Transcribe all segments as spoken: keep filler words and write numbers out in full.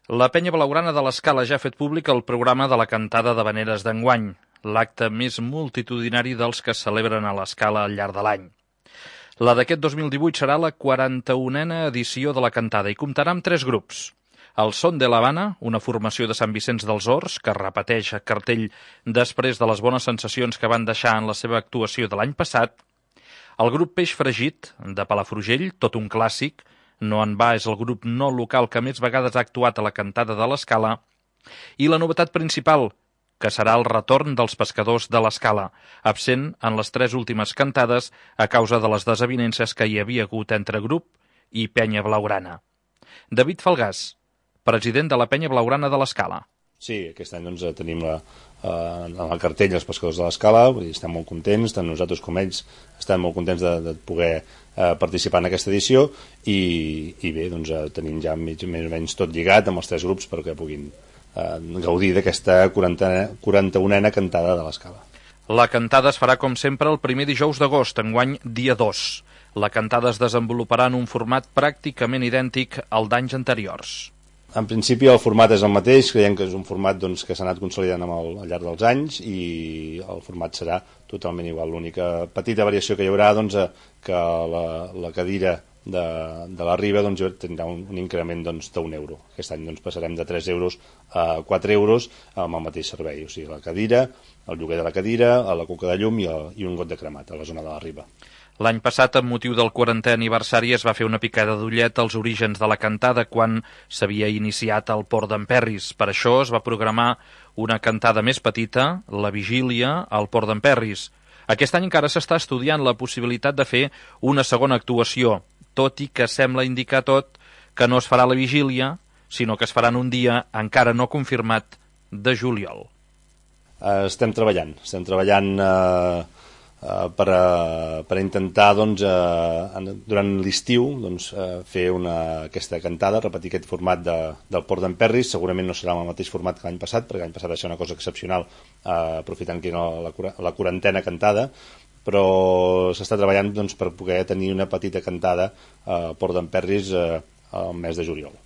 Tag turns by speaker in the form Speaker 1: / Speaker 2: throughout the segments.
Speaker 1: La Penya Blaugrana de l'Escala ja ha fet públic el programa de la cantada d'havaneres d'enguany, l'acte més multitudinari dels que es celebren a l'Escala al llarg de l'any. La d'aquest dos mil divuit serà la quaranta-unena edició de la cantada i comptarà amb tres grups. El Son de l'Havana, una formació de Sant Vicenç dels Horts, que repeteix a cartell després de les bones sensacions que van deixar en la seva actuació de l'any passat. El grup Peix Fregit, de Palafrugell, tot un clàssic. No en va és el grup no local que més vegades ha actuat a la cantada de l'Escala. I la novetat principal, que serà el retorn dels pescadors de l'Escala, absent en les tres últimes cantades a causa de les desavinences que hi havia hagut entre grup i Penya Blaugrana. David Falgàs, president de la Penya Blaugrana de l'Escala.
Speaker 2: Sí, aquest any doncs, tenim la, eh, en el cartell els pescadors de l'Escala, estem molt contents, tant nosaltres com ells estem molt contents de, de poder eh, participar en aquesta edició i, i bé, doncs, eh, tenim ja mig, més o menys tot lligat amb els tres grups perquè puguin eh, gaudir d'aquesta quaranta-unena cantada de l'Escala.
Speaker 1: La cantada es farà com sempre el primer dijous d'agost, enguany dia dos. La cantada es desenvoluparà en un format pràcticament idèntic al d'anys anteriors.
Speaker 2: En principi el format és el mateix, creiem que és un format doncs, que s'ha anat consolidant amb el, al llarg dels anys i el format serà totalment igual. L'única petita variació que hi haurà doncs, que la, la cadira de, de la Riba doncs, tindrà un, un increment doncs, d'un euro. Aquest any doncs, passarem de tres euros a quatre euros amb el mateix servei, o sigui, la cadira, el lloguer de la cadira, la coca de llum i, el, i un got de cremat a la zona de la Riba.
Speaker 1: L'any passat, amb motiu del quarantè aniversari, es va fer una picada d'ullet als orígens de la cantada quan s'havia iniciat al Port d'en Perris. Per això es va programar una cantada més petita, la vigília, al Port d'en Perris. Aquest any encara s'està estudiant la possibilitat de fer una segona actuació, tot i que sembla indicar tot que no es farà la vigília, sinó que es farà en un dia encara no confirmat de juliol.
Speaker 2: Uh, estem treballant, estem treballant... Uh... Uh, per, a, per a intentar doncs, uh, durant l'estiu doncs, uh, fer una, aquesta cantada, repetir aquest format de, del Port d'en Perris. Segurament no serà el mateix format que l'any passat, perquè l'any passat va ser una cosa excepcional, uh, aprofitant que era la, la quarantena cantada, però s'està treballant doncs, per poder tenir una petita cantada uh, al Port d'en Perris uh, al mes de juliol.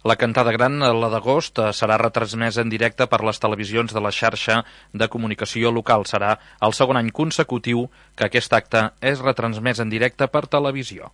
Speaker 1: La cantada gran, la d'agost, serà retransmesa en directe per les televisions de la xarxa de comunicació local. Serà el segon any consecutiu que aquest acte és retransmès en directe per televisió.